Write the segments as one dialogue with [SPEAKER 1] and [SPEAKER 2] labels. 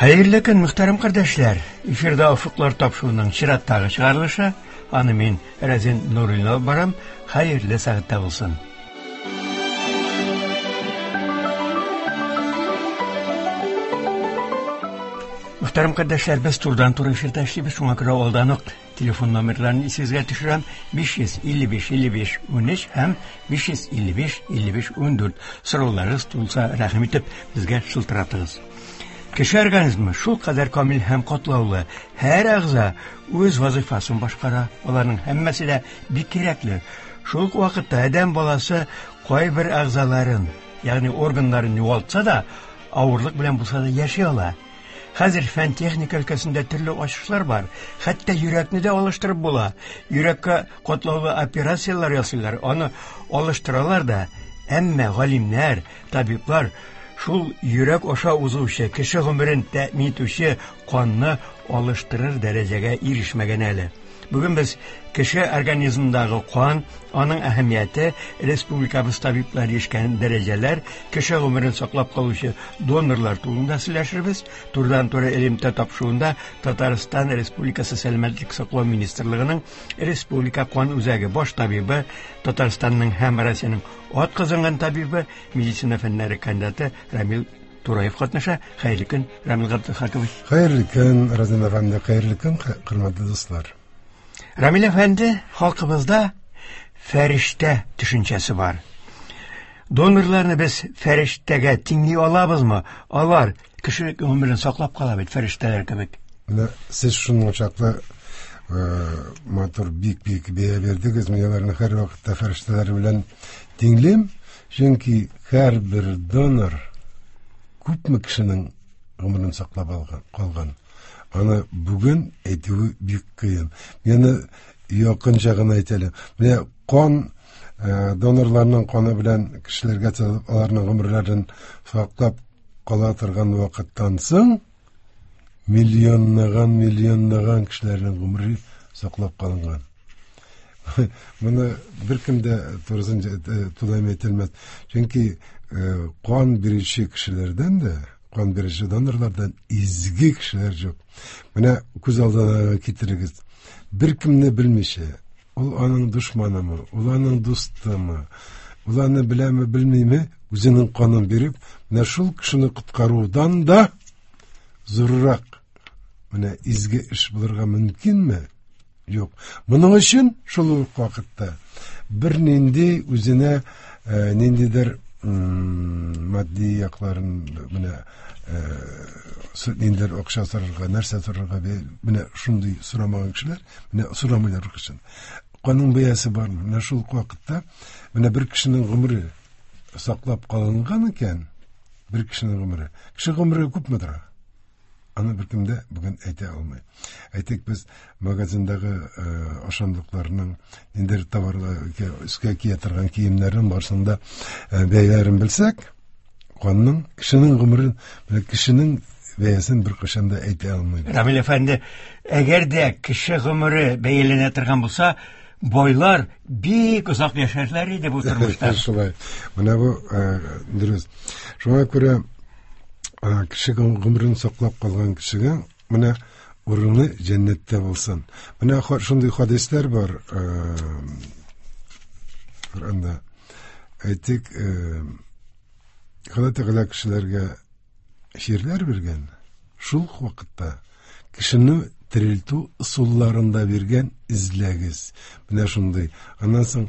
[SPEAKER 1] Хәерле көн, мөхтәрәм кардәшләр! Эфирда Офыклар тапшыруының чираттагы чыгарылышы. Аны мин, Рәзин Нуруллин алып барам. Хәерле сәгатьтә булсын. Мөхтәрәм кардәшләр, без турыдан-туры эфирда эшлибез, шуңа күрә алдан ук телефон номерларын исегезгә төшерәм. 555 55 13 һәм 555 55 14. Сорауларыгыз тулса, рәхим итеп, безгә шылтыратыгыз. Кеше организмы шул кадәр камил һәм катлаулы. Һәр әгъза үз вазыйфасын башкара. Аларның һәммәсе дә бик кирәкле. Шул ук вакытта адәм баласы кайбер әгъзаларын, ягъни органнарын югалтса да, авырлык белән булса да яши ала. Хәзер фән-техника өлкәсендә төрле ачышлар бар. Хәтта йөрәкне дә алыштырып була. Йөрәккә катлаулы операцияләр ясыйлар, аны алыштыралар да. Әмма галимнәр, табиблар шул йөрәк аша узучы, кеше гомерен тәэмин итүче канны алыштырыр дәрәҗәгә ирешмәгән әле. Бүген без кеше организмындагы кан, аның әһәмияте, республикабыз табиблары ирешкән дәрәҗәләр, кеше гомерен саклап калучы донорлар турында сөйләшербез. Турыдан-туры элемтә тапшыруында Татарстан Республикасы Сәламәтлек саклау министрлыгының Республика кан үзәге баш табибы, Татарстанның һәм Россиянең ат казанган табибы, медицина фәннәре кандидаты Рамил Тураев катнаша. Хәерле көн, Рамил Габделхакович.
[SPEAKER 2] Хәерле көн, Разин әфәнде, хәерле көн, хөрмәтле дуслар.
[SPEAKER 1] Рамил әфәнде, халкыбызда фәрештә төшенчәсе бар. Донорларны без фәрештәгә тиңли алабызмы? Алар кеше гомерен саклап кала бит фәрештәләр кебек.
[SPEAKER 2] Менә сез шуның чаклы матур бик-бик бәя бирдегез. Мин аларны һәрвакытта фәрештәләр белән тиңлим. Чөнки һәрбер донор күпме кешенең гомерен саклап алган, калган. Аны бүген әйтүе бик кыен. Мин якынча гына әйтәлем. Менә кан э, донорларның каны белән кешеләргә салып, аларның гомерләрен саклап кала торган вакыттан соң миллионлаган, миллионлаган кешеләрнең гомере саклап калынган. Моны беркем дә турысын тулаем әйтелмәс. Чөнки э, кан бирүче кешеләрдән дә, кан бирүче донорлардан изге кешеләр юк. Менә күз алдына китерегез. Беркемне белмичә, ул аның дошманымы, ул аның дустымы, ул аны беләме, белмиме, үзенең канын биреп, менә шул кешене коткарудан да зуррак менә изге эш булырга мөмкинме? Юк. Моның өчен шул ук вакытта бернинди үзенә э, ниндидер матди якларын менә э, ниндидер акча сорарга, нәрсә сорарга менә шундый сорамаган кешеләр, менә сорамыйлар беркайчан. Канның бәясе бармы? Менә шул ук вакытта менә бер кешенең гомере саклап калынган икән, бер кешенең гомере. Кеше гомере күпме тора? Аны беркем дә бүген әйтә алмый. Әйтик, без магазиндагы э, ашамлыкларның, ниндидер товарлар, өскә кия торган киемнәрнең барысын да э, бәяләрен белсәк, канның, кешенең гомерен, менә кешенең бәясен беркайчан да әйтә алмыйбыз.
[SPEAKER 1] Рамил әфәнде, әгәр дә кеше гомере бәяләнә торган булса, байлар бик озак яшәрләр иде бу тормышта.
[SPEAKER 2] Шулай. Менә бу э, дөрес. Шуңа күрә кеше гомерен саклап калган кешегә менә урыны җәннәттә булсын. Менә шундый хадисләр бар. Коръәндә. Әйтик, Алла Тәгалә кешеләргә чирләр биргән, шул ук вакытта кешене терелтү ысулларын да биргән, эзләгез. Менә шундый. Аннан соң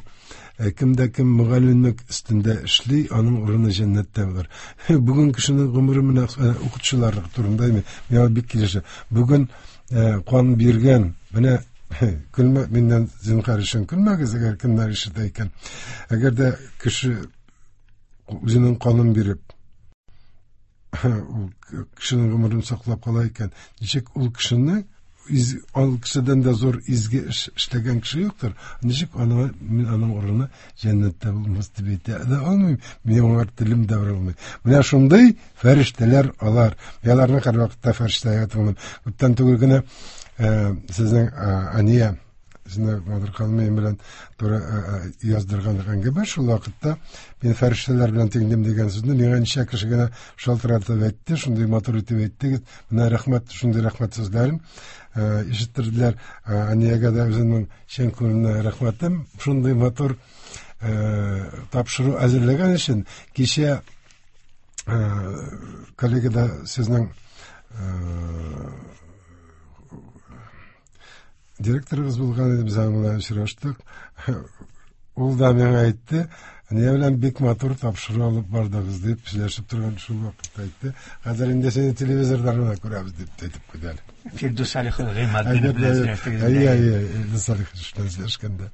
[SPEAKER 2] э, кем дә кем мөгаллимлек өстендә эшли, аның урыны җәннәттә булыр. Бүген кешенең гомере менә э, укытучылар турында миңа бик килешә. Бүген э, кан биргән, менә көлмә, миннән зинһар өчен көлмәгез, әгәр кемнәр ишетә икән. Әгәр дә кеше үзенең канын биреп, ул кешенең гомерен саклап кала икән, ничек ул кешене из, ул кешедән дә зур изге эш эшләгән кеше юктыр. Ничек аны мин аның урыны җәннәттә булмас дип әйтә дә алмыйм. Мин аңа телем дә бара алмый. Менә шундый фәрештәләр алар. Мин аларны һәрвакытта фәрештәгә тыңлыйм. Күптән түгел генә э, сезнең э, Ания Сезне Мадыр ханым белән туры яздырган әңгәмә. Шул вакытта мин фәрештәләр белән тиңлим дигән сүзне миңа ничә кеше генә шалтыратып әйтте, шундый матур итеп әйттегез. Менә рәхмәт, шундый рәхмәт сүзләрен ишеттерделәр. Әниягә дә үземнең чын күңелемнән рәхмәтем. Шундый матур тапшыру әзерләгән өчен. Кичә коллегада сезнең директорыгыз булган иде, без аның белән очраштык. Ул да миңа әйтте, әния белән бик матур тапшыру алып бардыгыз дип сөйләшеп торган шул вакытта әйтте. Хәзер инде сине телевизорда гына күрәбез дип әйтеп куйды әле.
[SPEAKER 1] Фирдүс Салихов Гыйматдинов белән сөйләштегез.
[SPEAKER 2] Әйе, әйе, Фирдүс Салихов белән сөйләшкәндә.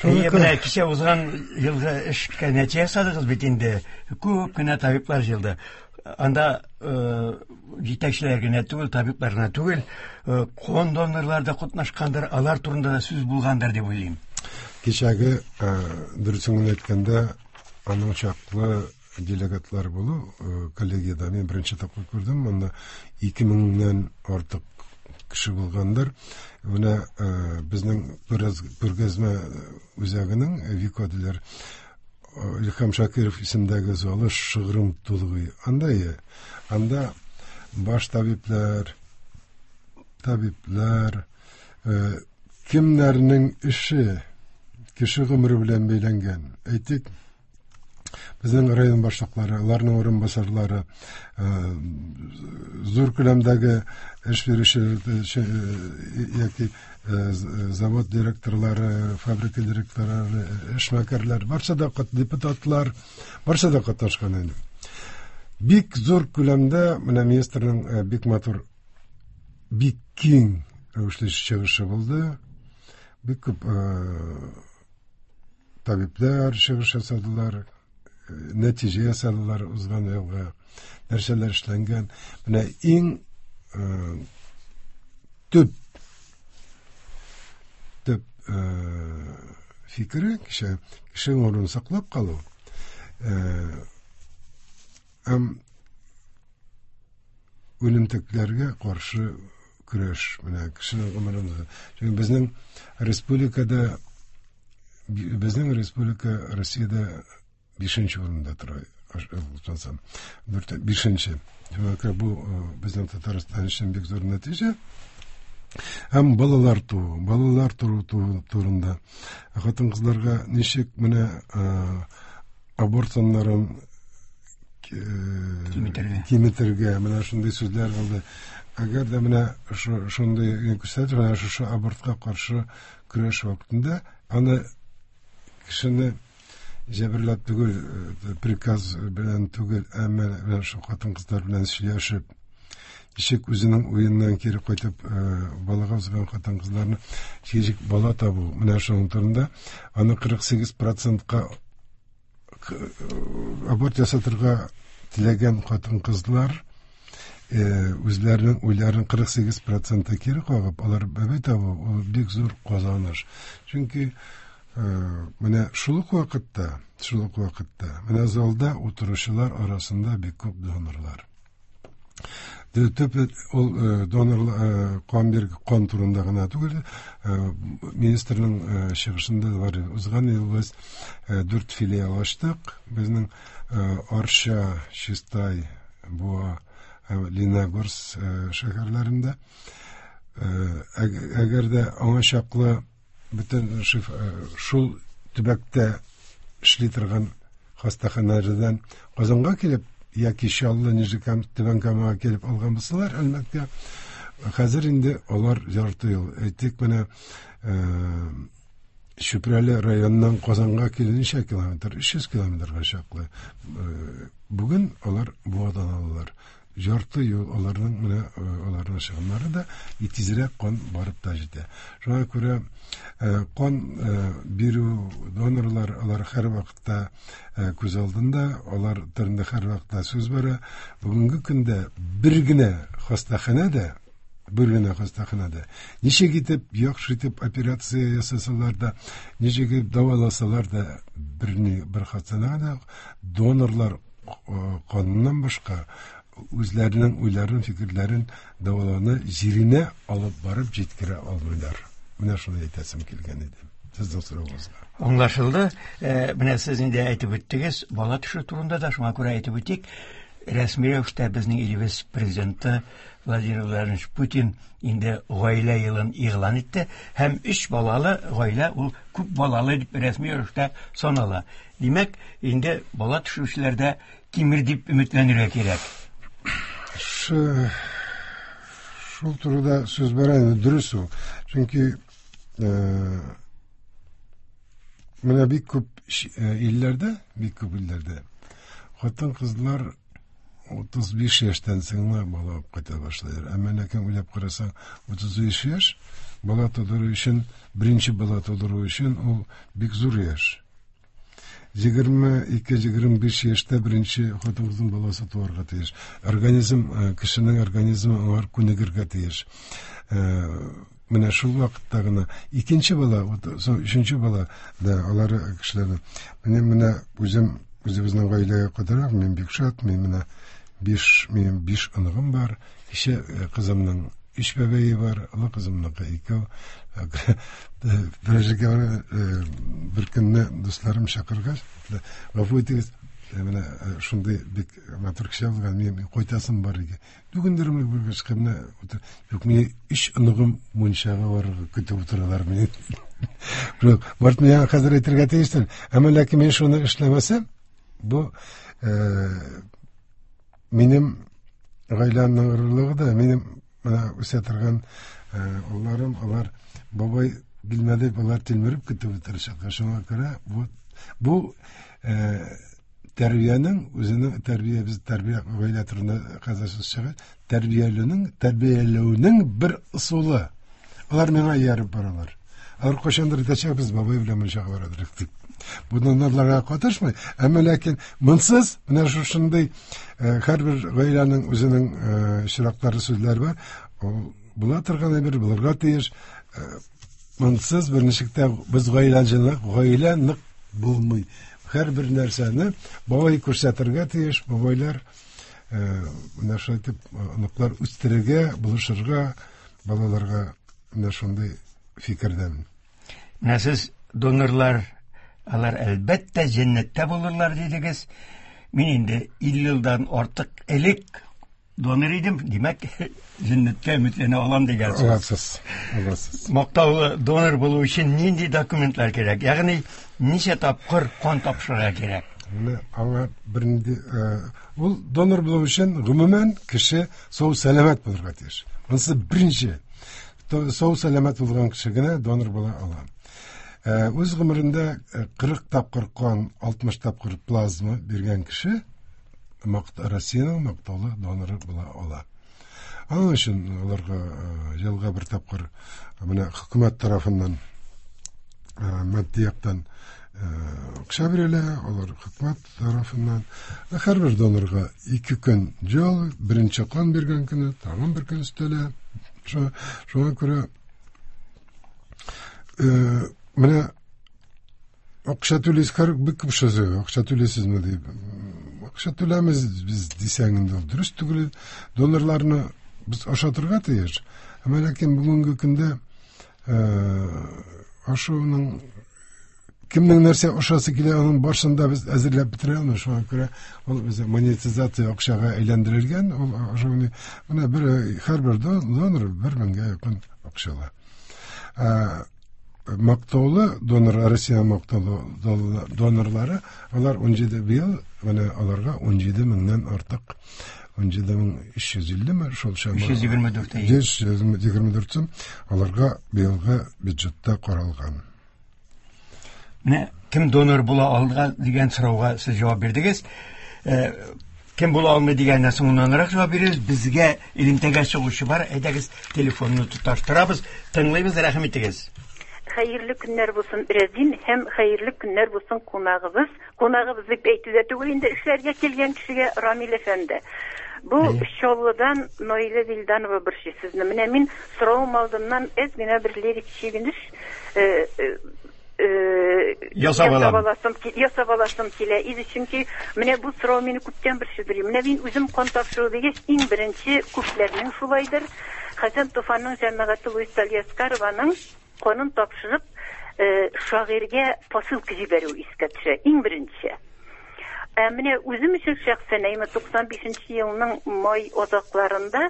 [SPEAKER 1] Әйе, менә кичә узган елгы эшкә нәтиҗә ясадыгыз бит инде. Күп кенә табиблар җыелды. Анда җитәкчеләр генә түгел, табиблар гына түгел, кон донорлар да катнашкандыр, алар турында да сүз булгандыр дип уйлыйм.
[SPEAKER 2] Кичәге, дөресен генә әйткәндә, аның чаклы делегатлар булу коллегиядә мин беренче тапкыр күрдем. Монда 2000-нән артык кеше булгандыр. Менә безнең күргәзмә үзәгенең Вико диләр, Илһам Шакиров исемдәге залы шыгрым тулы. Анда анда баш табиблар, табиблар, кемнәрнең эше кеше гомере белән бәйләнгән. Әйтик, безнең район башлыклары, аларның урынбасарлары, зур күләмдәге эш бирүчеләр яки завод директорлары, фабрика директорлары, эшмәкәрләр, барсы да депутатлар, барсы да катнашкан инде. Бик зур күләмдә менә министрның бик матур, бик киң рәвешле чыгышы булды. Бик күп табиблар чыгыш ясадылар, нәтиҗә ясадылар узган елга, нәрсәләр эшләнгән. Менә иң төп фикере кеше гомерен саклап калу һәм үлемтекләргә каршы көрәш. Менә кешенең гомерен. Чөнки безнең республикада, безнең республика Россиядә 5-нче урында тора, ышансам. 5-нче. Бу безнең Татарстан өчен бик зур нәтиҗә. Һәм балалар туу, балалар туу турында хатын-кызларга ничек менә аборт саннарын киметергә, менә шундый сүзләр булды. Әгәр дә менә шундый күрсәтеп, менә шушы абортка каршы көрәш вакытында аны кешене җәберләп түгел, приказ белән түгел, әмма менә шул хатын-кызлар белән сөйләшеп, ничек үзенең уеннан кире кайтып, балага узган хатын-кызларны ничек бала табу, менә шуның турында аны 48%-ка аборт ясатырга теләгән хатын-кызлар үзләренең уйларын 48% кире кагып, алар бәбәй табу, ул бик зур казаныш. Чөнки менә шул ук вакытта, менә залда утыручылар арасында бик күп донорлар. Төп ул донорлар кан бир кан турында гына түгел, министрның чыгышында бар. Узган ел без 4 филиал ачтык. Безнең Арча, Чистай, Буа, Лениногорск шәһәрләрендә. Әгәр дә аңа чаклы бөтен шул төбәктә эшли торган хастаханәләрдән Казанга килеп яки Чаллы, Нижнекамск, Түбән Камага килеп алган булсалар, әлбәттә, хәзер инде алар ярты юл. Әйтик, менә Чүпрәле районыннан Казанга килү ничә километр? 300 километрга чаклы. Бүген алар Буадан алалар. Ярты юл аларның, менә аларның чыгымнары да тизрәк кан барып та җитә. Шуңа күрә кан бирү, донорлар, алар һәрвакытта күз алдында, алар турында һәрвакытта сүз бара. Бүгенге көндә бер генә хастаханәдә, ничек итеп яхшы итеп операция ясасалар да, ничек итеп дәваласалар да, бер хастаханәдә донорлар каныннан башка үзләренең уйларын, фикерләрен дәвалауны җиренә алып барып җиткерә алмыйлар. Менә шуны әйтәсем килгән иде сезнең соравыгызга.
[SPEAKER 1] Аңлашылды. Менә сез инде әйтеп үттегез, бала төшерү турында да, шуңа күрә әйтеп үтик. Рәсми рәвештә безнең илебез президенты Владимир Владимирович Путин инде гаилә елын игълан итте һәм өч балалы гаилә ул күп балалы дип рәсми рәвештә санала. Димәк, инде бала төшерүчеләр дә кимер дип өметләнергә кирәк.
[SPEAKER 2] Шул турыда сүз бара инде, дөрес ул. Чөнки менә бик күп илләрдә, бик күп илләрдә хатын-кызлар 35 яшьтән соң гына бала алып кайта башлыйлар. Әмма ләкин уйлап карасаң, 35 яшь бала тудыру өчен, беренче бала тудыру өчен ул бик зур яшь. 22-25 яшьтә беренче хатын-кызның баласы туарга тиеш. Организм, кешенең организмы аңар күнегергә тиеш. Менә шул вакытта гына икенче бала, өченче бала да алар кешеләрне. Менә үзем үзебезнең гаиләгә кадәр мин бик шат, мин менә минем 5 оныгым бар. Кече кызымның 3 бәбәе бар, олы кызымныкы 2. Бер җиргә бер көнне дусларым чакыргач, гафу итегез, менә шундый бик матур кеше булган, минем кайтасым бар иде. Бүгендер бер кешкә менә юк, мине 3 оныгым мунчага барырга көтеп утыралар мине. Барт миңа хәзер әйтергә тиештер. Әмма ләкин мин шуны эшләмәсәм, бу минем гаиләмнең горурлыгы да, минем менә үсә торган улларым, алар бабай килмәде, алар тилмереп көтеп утырачаклар. Шуңа күрә бу тәрбиянең үзенең тәрбия, без тәрбия гаилә турында хәзер сүз чыга, тәрбияләүнең бер ысулы. Алар миңа ияреп баралар. Алар кайчандыр әйтәчәк, без бабай белән мунчага барадыр дип. Бу донорларга катышмый, әмма ләкин монсыз менә шушындый һәрбер гаиләнең үзенең чираклары, сүзләре бар. Ул була торган әйбер, булырга тиеш. Монсыз берничек тә без гаилә җылы, гаилә нык булмый. Һәрбер нәрсәне бабай күрсәтергә тиеш, бабайлар менә шулай итеп оныклар үстерергә, булышырга, балаларга менә шундый фикердән.
[SPEAKER 1] Менә сез донорлар, алар әлбәттә җәннәттә булырлар дидегез. Мин инде 50 елдан артык элек донор идем, димәк, җәннәткә өметләнә алам дигән сүз.
[SPEAKER 2] Аласыз, аласыз.
[SPEAKER 1] Мактаулы донор булу өчен нинди документлар кирәк? Ягъни ничә тапкыр кан тапшырырга кирәк?
[SPEAKER 2] Менә аңа бернинди, ул донор булу өчен гомумән кеше сау сәламәт булырга тиеш. Монысы беренче. Сау сәламәт булган кеше генә донор була ала. Үз гомерендә 40 тапкыр кан, 60 тапкыр плазма биргән кеше Россиянең мактаулы доноры була ала. Аның өчен аларга елга бер тапкыр менә хөкүмәт тарафыннан матди яктан акча бирелә, алар хөкүмәт тарафыннан. Һәрбер донорга 2 көн җыл, беренче кан биргән көне, тагын бер көн өстәлә. Шуңа күрә менә акча түлисез, һәр бик күп сүз, акча түлисезме дип. Акча түләмез без дисәң инде ул дөрес түгел. Донорларны без ашатырга тиеш. Әмма ләкин бүгенге көндә ашауның кемнең нәрсә ашасы килә, аның барысын да без әзерләп бетерә алмыйбыз. Шуңа күрә ул безнең монетизация акчага әйләндерелгән, ул ашауны менә бер һәрбер донор бер меңгә якын акча ала. Мактаулы донор, Россия мактаулы донорлары, алар 17 быел, менә аларга 17 меңнән артык, 17350 ме, шул чама.
[SPEAKER 1] 324, әйе.
[SPEAKER 2] 324 сум аларга быелгы бюджетта каралган.
[SPEAKER 1] Менә кем донор була алды дигән сорауга сез җавап бирдегез. Кем була алмый дигәннән соңыннанрак җавап бирегез. Безгә элемтәгә чыгучы бар. Әйдәгез, телефонны тоташтырабыз. Тыңлыйбыз, рәхим итегез.
[SPEAKER 3] Хәерле көннәр булсын, Рәзин, һәм хәерле көннәр булсын кунагыбыз. Кунагыбыз дип әйтү дә түгел инде, эшләргә килгән кешегә Рамил әфәнде. Бу Чаллыдан Наилә Вилданова борчый сезне. Менә мин соравым алдыннан әз генә бер лирик чигенеш,
[SPEAKER 1] Ясап алам.
[SPEAKER 3] ясап аласым килә иде, чөнки менә бу сорау мине күптән борчыдыр. Менә мин үзем кан тапшыру дигәч, иң беренче күпләрнең шулайдыр. Хәсән Туфанның җәмәгате Луиз Алиаскарованың Канын тапшырып, шагыйрьгә посылка җибәрү искә төшә, иң беренче. Ә менә үзем өчен шәхсән, әйме 95 елның май азакларында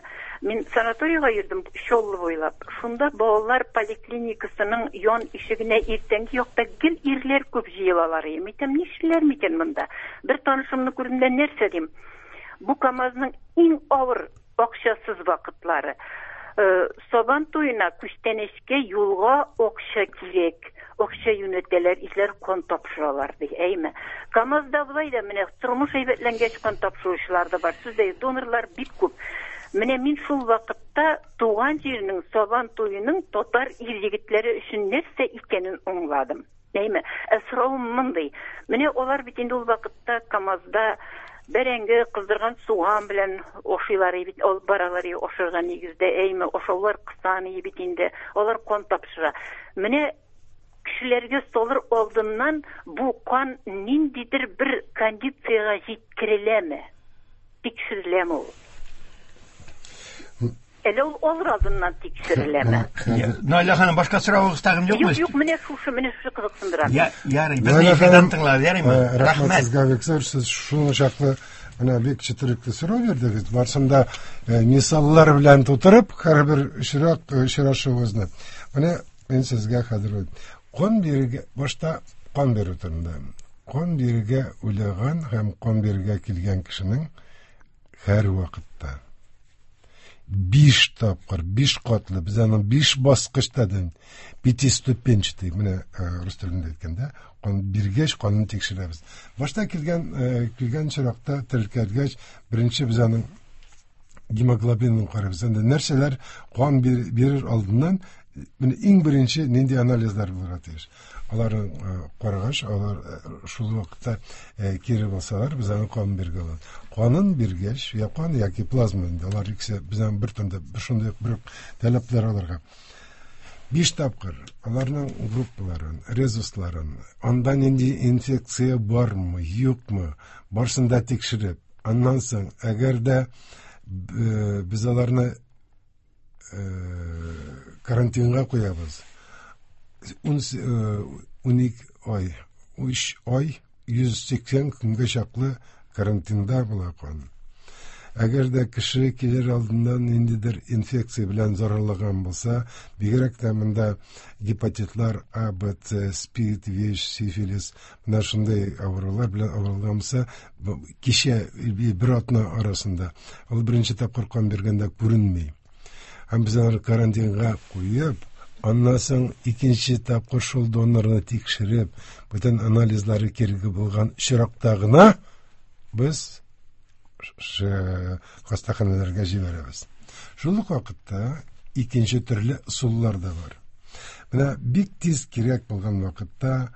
[SPEAKER 3] мин санаторийга йөрдем Чаллы буйлап. Шунда балалар поликлиникасының ян ишегенә иртәнге якта гел ирләр күп җыелалар. Мин әйтәм, нишлиләр микән монда? Бер танышымны күрдем дә, нәрсә дим? Бу КАМАЗның иң авыр акчасыз вакытлары. Сабан туена күчтәнәчкә юлга акча кирәк. Акча юнәтәләр, ирләр кан тапшыралар ди, әйме. КАМАЗда болай да менә тормыш әйбәтләнгәч кан тапшыручылар да бар. Сүз дә юк, донорлар бик күп. Менә мин шул вакытта туган җирнең Сабан туеның татар ир-егетләре өчен нәрсә икәнен аңладым. Әйме? Ә соравым мондый. Менә алар бит инде ул вакытта КАМАЗда бәрәңге, кыздырган суган белән ашыйлар бит, алып баралар ашарга нигездә, әйме, ашаулар кысан бит инде, алар кан тапшыра. Менә кешеләргә салыр алдыннан бу кан ниндидер бер кондициягә җиткереләме? Тикшереләме ул? Әле ул алыр алдыннан тикшереләме?
[SPEAKER 1] Наилә ханым, башка соравыгыз тагын юкмы?
[SPEAKER 3] Юк, юк, менә шушы, менә шушы кызыксындыра.
[SPEAKER 1] Ярый, безне эфирдан тыңлар, ярыймы?
[SPEAKER 2] Рәхмәт сезгә, бик зур, сез шуны чаклы менә бик четерекле сорау бирдегез. Барсын да мисаллар белән тутырып, һәрбер очрак очрашуыбызны. Менә мин сезгә хәзер кан бирергә, башта кан бирү турында. Кан бирергә уйлаган һәм кан бирергә килгән кешенең һәр вакытта 5 тапкыр, 5 катлы, без аны 5 баскычта дим, пятиступенчатый, менә рус телендә әйткәндә, кан биргәч канын тикшерәбез. Башта килгән килгән чиракта теркәлгәч, беренче без аның гемоглобинын карыйбыз. Анда нәрсәләр кан бирер алдыннан менә иң беренче нинди анализлар булырга тиеш. Аларны карагач, алар шул вакытта кире булсалар, без аны кан биргә алабыз. Канын биргәч, я кан яки плазма инде, алар икесе безнең бер төндә бер шундый бер таләпләр аларга. 5 тапкыр аларның группаларын, резусларын, анда нинди инфекция бармы, юкмы, барсын да тикшереп, аннан соң, әгәр дә без аларны карантинга куябыз. 12 ай, 3 ай, 180 көнгә чаклы карантинда була кан. Әгәр дә кеше килер алдыннан ниндидер инфекция белән зарарлаган булса, бигрәк тә монда гепатитлар А, Б, С, СПИД, ВИЧ, сифилис, менә шундый авырулар белән авырылган булса, кичә бер атна арасында ул беренче тапкыр кан биргәндә күренми. Һәм без аларны карантинга куеп, аннан соң икенче тапкыр шул донорны тикшереп, бөтен анализлары кирәк булган очракта гына без хастаханәләргә җибәрәбез. Шул ук вакытта икенче төрле ысуллар да бар. Менә бик тиз кирәк булган вакытта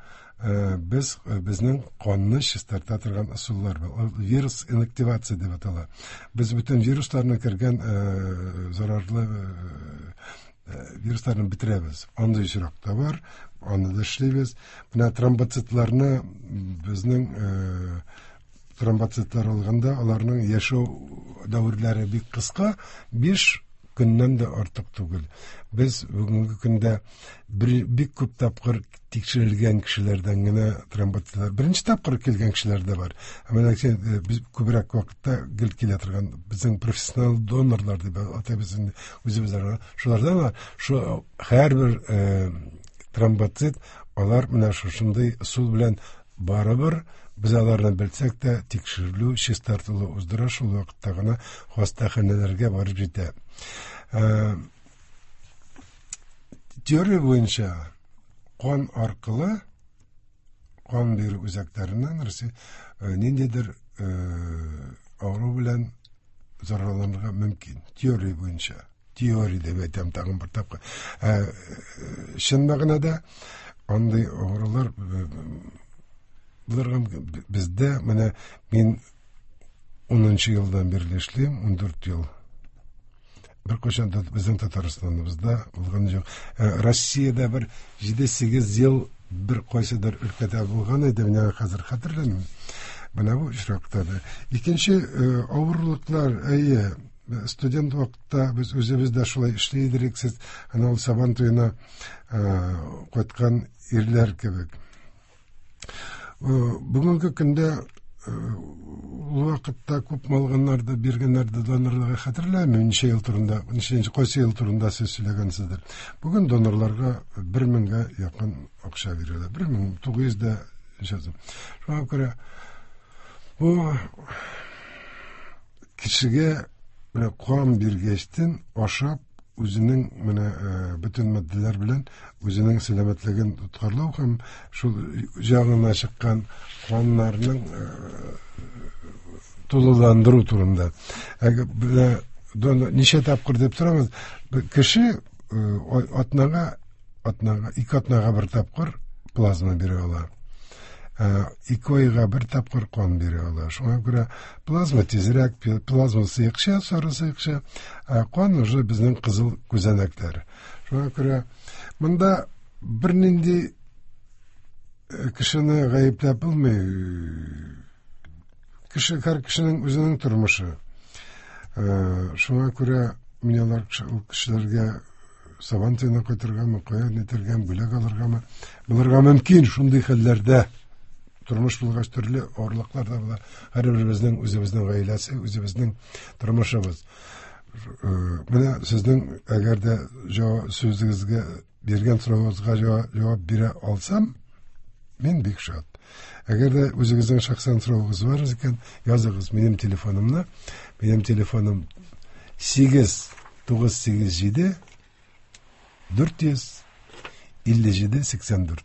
[SPEAKER 2] без безнең канны чистарта торган ысуллар бар. Ул вирус инактивация дип атала. Без бөтен вирусларны кергән зарарлы вирусларны бетерәбез. Андый очрак та бар, аны да эшлибез. Менә тромбоцитларны безнең тромбоцитлар алганда аларның яшәү дәверләре бик кыска, 5 көннән дә артык түгел. Без бүгенге көндә бик күп тапкыр тикшерелгән кешеләрдән генә тромбоцитлар, беренче тапкыр килгән кешеләр дә бар. Ә менә без күбрәк вакытта гел килә торган безнең профессионал донорлар дип атыйбыз инде үзебез. Шулардан да шу һәрбер тромбоцит алар менә шушындый ысул белән барыбер без аларны белсәк тә тикшерелү, чистартылу уздыра, шул вакытта гына хастаханәләргә барып җитә. Теория буенча кан аркылы кан бирү үзәкләреннән ниндидер авыру белән зарарланырга мөмкин. Теория буенча. Теория дип әйтәм тагын бер тапкыр. Чын мәгънәдә андый авырулар булырга мөмкин. Бездә менә мин 10 елдан бирле эшлим, 14 ел. Бер кайчан да безнең Татарстаныбызда булган юк. Россиядә бер 7-8 ел бер кайсыдыр өлкәдә булган иде, менә хәзер хәтерләмим. Менә бу очракта да. Икенче авырлыклар, әйе. Студент вакытта без үзебез дә шулай эшли идек, сез ана ул Сабан туена кайткан ирләр кебек. Бүгенге көндә ул вакытта күп алганнар да, биргәннәр дә донорларга, хәтерләмим, ничә ел турында, ничәнче, кайсы ел турында сез сөйләгәнсездер. Бүген донорларга 1000гә якын акча бирелә. 1900 дә ничәсе. Шуңа күрә бу кешегә менә кан биргәчтен ашап, үзенең менә бөтен матдәләр белән үзенең сәламәтлеген тоткарлау һәм шул җанына чыккан каннарның тулыландыру турында. Әгәр менә ничә тапкыр дип сорамыз, кеше атнага, 2 атнага бер тапкыр плазма бирә ала. 2 айга бер тапкыр кан бирә ала. Шуңа күрә плазма тизрәк, плазма сыекча, сары сыекча, ә кан уже безнең кызыл күзәнәкләр. Шуңа күрә монда бернинди кешене гаепләп булмый. Кеше, һәр кешенең үзенең тормышы. Шуңа күрә мин алар ул кешеләргә Сабан туена кайтыргамы, кая нитергәме, бүләк алыргамы булырга мөмкин. Шундый хәлләрдә тормыш булгач, төрле авырлыклар да була. Һәрберебезнең үзебезнең гаиләсе, үзебезнең тормышыбыз. Менә сезнең әгәр дә сүзегезгә, биргән соравыгызга җавап бирә алсам, мин бик шат. Әгәр дә үзегезнең шәхсән соравыгыз бар икән, языгыз минем телефонымны. Минем телефоным 8 987 457 84.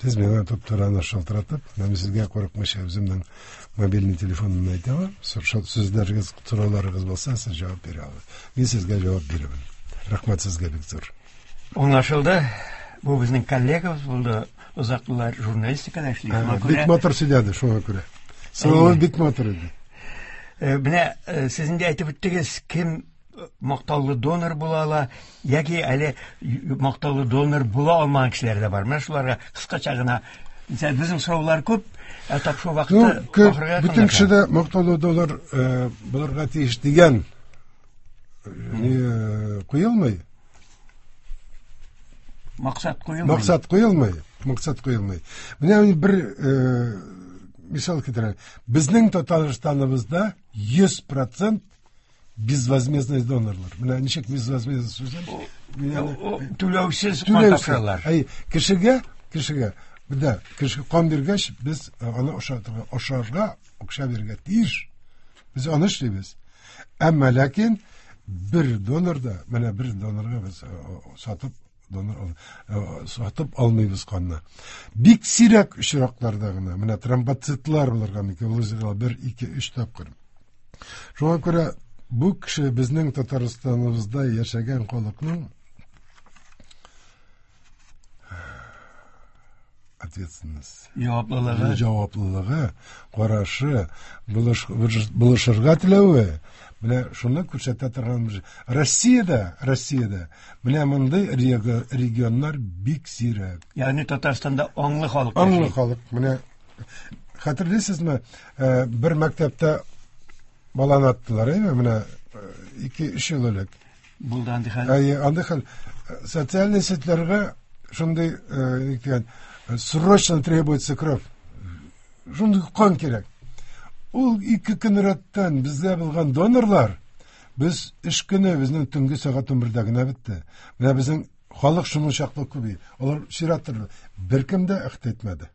[SPEAKER 2] Сез миңа туп-туры шалтыратып, мин сезгә курыкмыйча үземнең мобильный телефонымны әйтә алам. Сүзләрегез, сорауларыгыз булса, сез җавап бирә аласыз. Мин сезгә җавап бирермен. Рәхмәт сезгә бик зур.
[SPEAKER 1] Аңлашылды. Бу безнең коллегабыз булды. Озак еллар журналистикада эшли. Шуңа
[SPEAKER 2] Бик матур сөйләде, шуңа күрә. Соравы бик матур иде.
[SPEAKER 1] Менә сез инде әйтеп үттегез, кем мактаулы донор була ала, яки әле мактаулы донор була алмаган кешеләр дә бар. Менә шуларга кыскача гына. Мисал, безнең сораулар күп, ә тапшыру вакыты
[SPEAKER 2] Ну,
[SPEAKER 1] ахырга
[SPEAKER 2] бөтен
[SPEAKER 1] якынлаша.
[SPEAKER 2] кеше дә мактаулы донор булырга тиеш дигән куелмый.
[SPEAKER 1] Максат куелмый.
[SPEAKER 2] Максат куелмый. Максат куелмый. Менә мин бер мисал китерәм. Безнең Татарстаныбызда 100% безвозмездный донорлар. Менә ничек безвозмездный сүзен? Мин аны-
[SPEAKER 1] Түләүсез кан
[SPEAKER 2] Түләүсез.
[SPEAKER 1] тапшыралар.
[SPEAKER 2] Әй, кешегә, да, кеше кан биргәч, без аны ашатырга, ашарга акча бирергә тиеш. Без аны эшлибез. Әмма ләкин бер донорда, менә бер донорга без сатып донор сатып алмыйбыз канны. Бик сирәк очракларда гына, менә тромбоцитлар булырга мөмкин, ул бер, ике, өч тапкыр. Шуңа күрә бу кеше безнең Татарстаныбызда яшәгән халыкның ответственность,
[SPEAKER 1] Җаваплылыгы.
[SPEAKER 2] Җаваплылыгы, карашы, булышырга теләве, менә шуны күрсәтә торган Россиядә менә мондый регионнар бик сирәк.
[SPEAKER 1] Ягъни Татарстанда аңлы халык
[SPEAKER 2] Аңлы
[SPEAKER 1] яши.
[SPEAKER 2] халык. Менә хәтерлисезме, бер мәктәптә баланы аттылар, әйме? Менә 2-3 ел элек.
[SPEAKER 1] Булды андый хәл.
[SPEAKER 2] Әйе, андый хәл. Социальный сетьләргә шундый, ни дигән, срочно требуется кровь. Шундый кан кирәк. Ул 2 көн рәттән бездә булган донорлар, без эш көне безнең төнге сәгать 11дә генә бетте. Менә безнең халык шуның чаклы күбәй. Алар чират торды. Беркем дә әхт итмәде.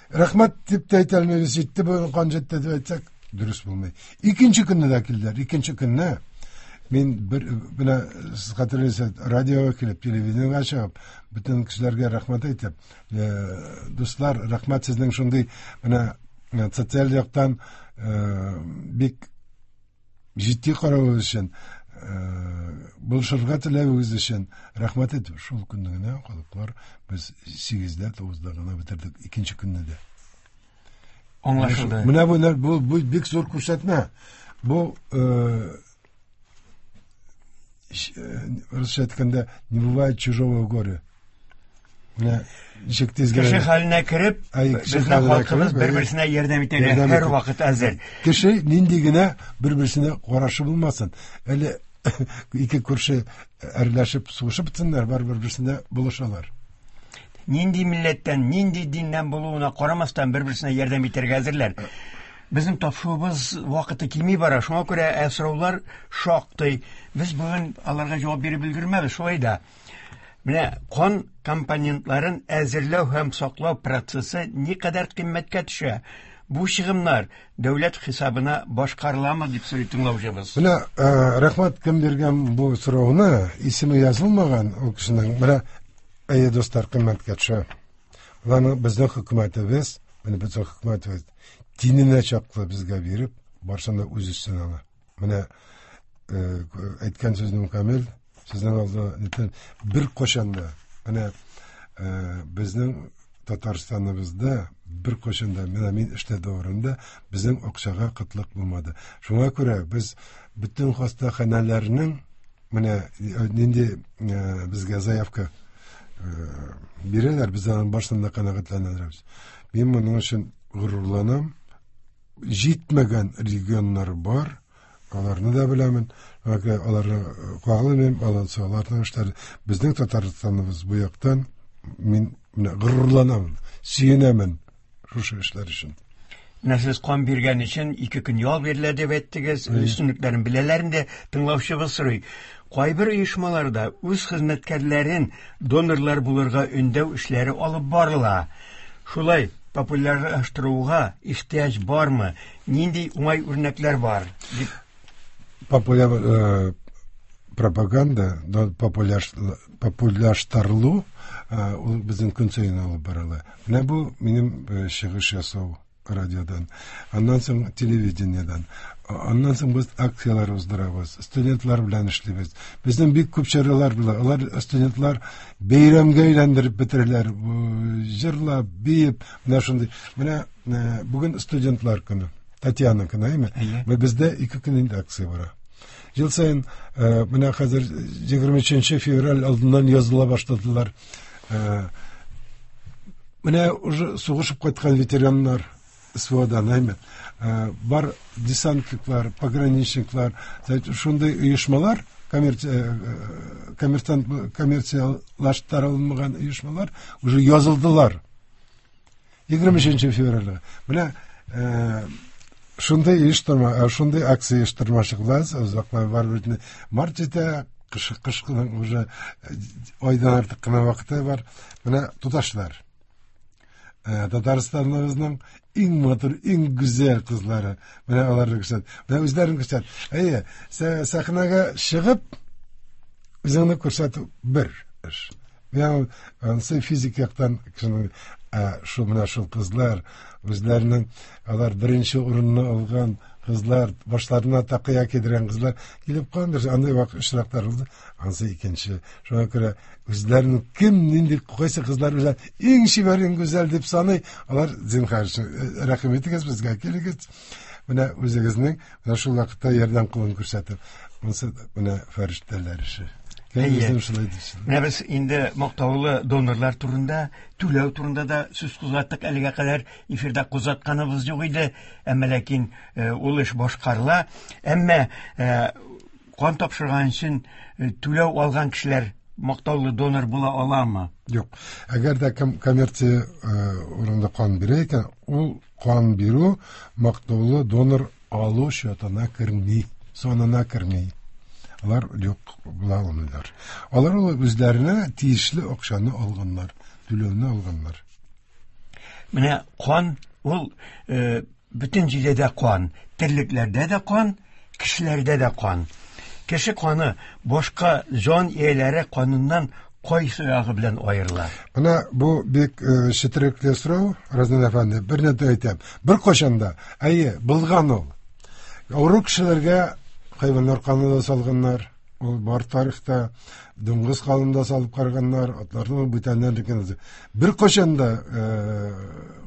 [SPEAKER 2] Рәхмәт дип тә әйтә алмыйбыз, җитте бу кан җитте дип әйтсәк, дөрес булмый. Икенче көнне дә килделәр. Икенче көнне мин бер менә сез хәтерлисез, радиога килеп, телевидениегә чыгып, бөтен кешеләргә рәхмәт әйтеп, дуслар, рәхмәт сезнең шундый менә социаль яктан бик җитди каравыгыз өчен, булышырга теләвегез өчен рәхмәт әйтеп, шул көнне генә халыклар без 8дә, 9да гына бетердек икенче көнне дә.
[SPEAKER 1] Аңлашылды.
[SPEAKER 2] Менә бу бик зур күрсәтмә. Бу русча әйткәндә, не бывает чужого горя. Менә ничек тиз генә.
[SPEAKER 1] Кеше хәленә кереп, безнең халкыбыз бер-берсенә ярдәм итәргә һәр вакыт әзер.
[SPEAKER 2] Кеше нинди генә бер-берсенә карашы булмасын. Әле ике күрше әрләшеп сугышып бетсеннәр, барыбер берсенә булышалар.
[SPEAKER 1] Нинди милләттән, нинди диннән булуына карамастан бер-берсенә ярдәм итәргә әзерләр. Безнең тапшыруыбыз вакыты кими бара, шуңа күрә ә сораулар шактый. Без бүген аларга җавап биреп өлгермәбез, шулай да. Менә кан компонентларын әзерләү һәм саклау процессы никадәр кыйммәткә төшә? Бу чыгымнар дәүләт хисабына башкарыламы дип сорый тыңлаучыбыз.
[SPEAKER 2] Менә рәхмәт кем биргән бу сорауны, исеме язылмаган ул кешенең. Менә әйе, дуслар, кыйммәткә төшә. Аларны безнең хөкүмәтебез, менә безнең хөкүмәтебез тиненә чаклы безгә биреп, барсын да үз өстенә ала. Менә әйткән сүзнең камил, сезнең алда нитен бер кашан да менә безнең Татарстаныбызда бер кашан да менә мин эштә дәверендә безнең акчага кытлык булмады. Шуңа күрә без бөтен хастаханәләрнең менә нинди безгә заявка бирәләр, без аның барысын да канәгатьләнәбез. Мин моның өчен горурланам. Җитмәгән регионнар бар, аларны да беләмен, аларны кагылмыйм, аларның эшләре. Безнең Татарстаныбыз бу яктан мин менә горурланамын, сөенәмен шушы эшләр өчен.
[SPEAKER 1] Менә сез кан биргән өчен 2 көн ял бирелә дип әйттегез, өстенлекләрен беләләр инде, тыңлаучыбыз сорый. Кайбер оешмаларда үз хезмәткәрләрен донорлар булырга өндәү эшләре алып барыла. Шулай популярлаштыруга ихтыяҗ бармы? Нинди уңай үрнәкләр бар? Дип.
[SPEAKER 2] Популяр пропаганда, популярлаштырылу ул безнең көн саен алып барыла. Менә бу минем чыгыш ясау радиодан, аннан соң телевидениедән, аннан соң без акцияләр уздырабыз, студентлар белән эшлибез. Безнең бик күп чаралар була. Алар студентлар бәйрәмгә әйләндереп бетерәләр, җырлап, биеп, менә шундый. Менә бүген студентлар көне, Татьяна көне, әйме? Бездә 2 көн инде акция бара. Ел саен менә хәзер 23 февраль алдыннан языла башладылар. Менә уже сугышып кайткан ветераннар СВОдан, әйме? Бар десантниклар, пограничниклар, шундый оешмалар, коммерциялаштырылмаган оешмалар уже язылдылар. 23 февральгә. Менә шундый оештырма, шундый акция оештырмачакбыз. Озаклар бар бит. Март җитә, кышкының уже айдан артык кына вакыты бар. Менә туташлар. Татарстаныбызның иң матур, иң гүзәл кызлары. Менә аларны күрсәт. Менә үзләрен күрсәт. Әйе, сәхнәгә чыгып үзеңне күрсәтү бер эш. Менә ансы физик яктан кешенең шул менә шул кызлар үзләренең алар беренче урынны алган кызлар, башларына такыя кидергән кызлар килеп калдыр. Андый вакыт очраклар булды. Ансы икенче. Шуңа күрә үзләренең кем нинди кайсы кызлар үзләр иң чибәр, иң гүзәл дип саный, алар зинһар өчен рәхим итегез, безгә килегез. Менә үзегезнең менә шул вакытта ярдәм кулын күрсәтеп. Монысы менә фәрештәләр эше.
[SPEAKER 1] Менә без инде мактаулы донорлар турында, түләү турында да сүз кузгаттык. Әлегә кадәр эфирда кузгатканыбыз юк иде, әмма ләкин ул эш башкарыла. Әмма кан тапшырган өчен түләү алган кешеләр мактаулы донор була аламы?
[SPEAKER 2] Юк. Әгәр дә кем коммерция урында кан бирә икән, ул кан бирү мактаулы донор алу счетына керми, санына керми. Алар юк була алмыйлар. Алар ул үзләренә тиешле акчаны алганнар, түләүне алганнар.
[SPEAKER 1] Менә кан ул бөтен җирдә дә кан, терлекләрдә дә кан, кешеләрдә дә кан. Кеше каны башка җан ияләре каныннан кайсы ягы белән аерыла?
[SPEAKER 2] Менә бу бик четерекле сорау, Разил әфәнде, бер нәрсә әйтәм. Бер кашан да, әйе, булган ул. Авыру кешеләргә хайваннар каны да салганнар. Ул бар тарихта дуңгыз канын да салып караганнар, атларның бүтәннәрнекен. Бер кашан да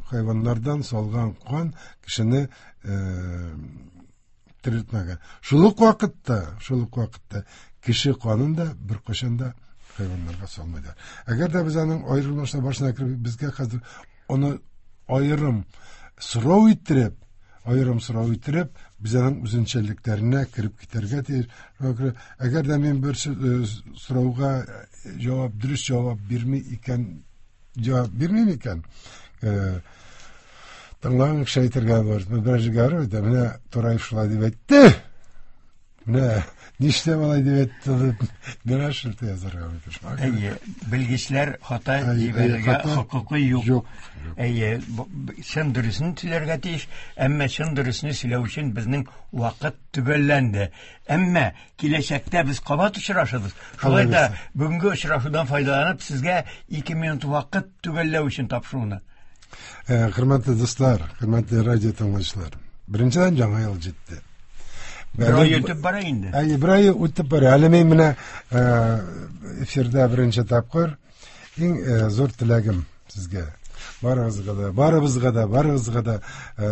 [SPEAKER 2] хайваннардан салган кан кешене терелтмәгән. Шул ук вакытта кеше канын да бер кашан да Хайваннарга салмыйлар. Әгәр дә без аның аерылмышына башына кереп, безгә хәзер аны аерым сорау иттереп, аерым сорау иттереп, без аның үзенчәлекләренә кереп китәргә тиеш. Шуңа күрә, әгәр дә мин бер сорауга җавап, дөрес җавап бирми икән, җавап бирмим икән, тыңлаган кеше әйтергә бар. Берәр җиргә барып әйтә, менә Тураев шулай дип әйтте. Менә нишләп алай дип әйтте дип, миңа шелтә язарга мөмкин. Шуңа күрә
[SPEAKER 1] Әйе, белгечләр хата
[SPEAKER 2] Әйе,
[SPEAKER 1] җибәрергә
[SPEAKER 2] хата
[SPEAKER 1] хокукы юк.
[SPEAKER 2] Юк, юк.
[SPEAKER 1] Әйе, чын дөресен сөйләргә тиеш, әмма чын дөресне сөйләү өчен безнең вакыт төгәлләнде. Әмма киләчәктә без кабат очрашырбыз. Шулай да
[SPEAKER 2] Алла бирсә.
[SPEAKER 1] бүгенге очрашудан файдаланып, сезгә 2 минут вакыт төгәлләү өчен тапшыруны.
[SPEAKER 2] Хөрмәтле дуслар, хөрмәтле радио тыңлаучылар. Беренчедән, яңа ел җитте.
[SPEAKER 1] Бер ай үтеп бара инде.
[SPEAKER 2] Әйе, бер ай үтеп бара. Әле мин менә эфирда беренче тапкыр иң зур теләгем сезгә. Барыгызга да, барыбызга да, барыгызга да,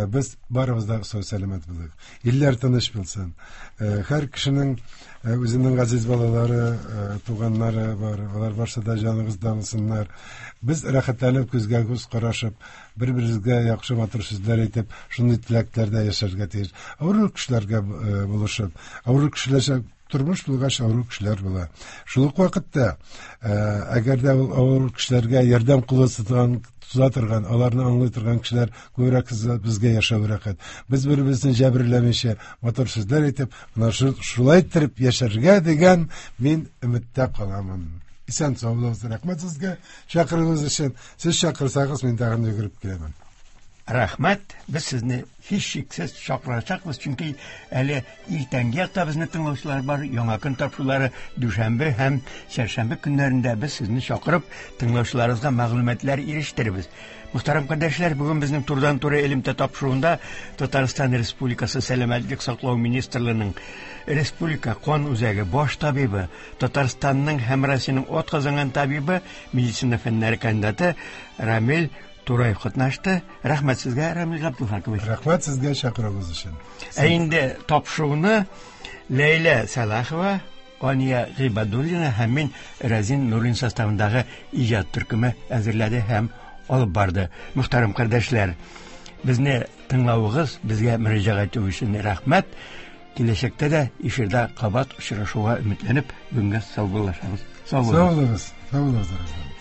[SPEAKER 2] без барыбыз да сау сәламәт булыйк. Илләр тыныч булсын. Һәр кешенең үзенең газиз балалары, туганнары бар. Алар барсы да җаныгызда булсыннар. Без рәхәтләнеп күзгә күз карашып, бер-беребезгә яхшы матур сүзләр әйтеп, шундый теләкләрдә яшәргә тиеш. Авыру кешеләргә булышып, авыру кешеләрчә тормыш булгач, авыру кешеләр була. Шул ук вакытта, әгәр дә ул авыру кешеләргә ярдәм кулы суза торган, аларны аңлый торган кешеләр күбрәк безгә яшәү рәхәт. Без бер-беребезне җәберләмичә, матур сүзләр әйтеп, менә шулай иттереп яшәргә дигән мин өметтә каламын. Исән сау булыгыз. Рәхмәт сезгә чакыруыгыз өчен. Сез чакырсагыз, мин тагын йөгереп киләмен.
[SPEAKER 1] Рәхмәт. Без сезне һичшиксез чакырачакбыз, чөнки әле иртәнге якта безне тыңлаучылар бар. Яңа көн тапшырулары дүшәмбе һәм чәршәмбе көннәрендә без сезне чакырып, тыңлаучыларыбызга мәгълүматлар ирештерербез. Мөхтәрәм кардәшләр, бүген безнең турыдан-туры элемтә тапшыруында Татарстан Республикасы Сәламәтлек саклау министрлыгының Республика кан үзәге баш табибы, Татарстанның һәм Россиянең атказанган табибы, медицина фәннәре кандидаты Рамил Тураев катнашты. Рәхмәт сезгә, Рамил Габдулхакович.
[SPEAKER 2] Рәхмәт сезгә чакыруыгыз өчен.
[SPEAKER 1] Ә инде тапшыруны Ләйлә Сәлахова, Ания Гыйбадуллина һәм мин Разин Нурин составындагы иҗат төркеме әзерләде һәм алып барды. Мөхтәрәм кардәшләр, безне тыңлавыгыз, безгә мөрәҗәгать итү өчен рәхмәт. Киләчәктә дә эфирда кабат очрашуга өметләнеп, бүгенгә саубуллашабыз. Сау булыгыз.
[SPEAKER 2] Сау булыгыз. Сау булыгыз, Разин.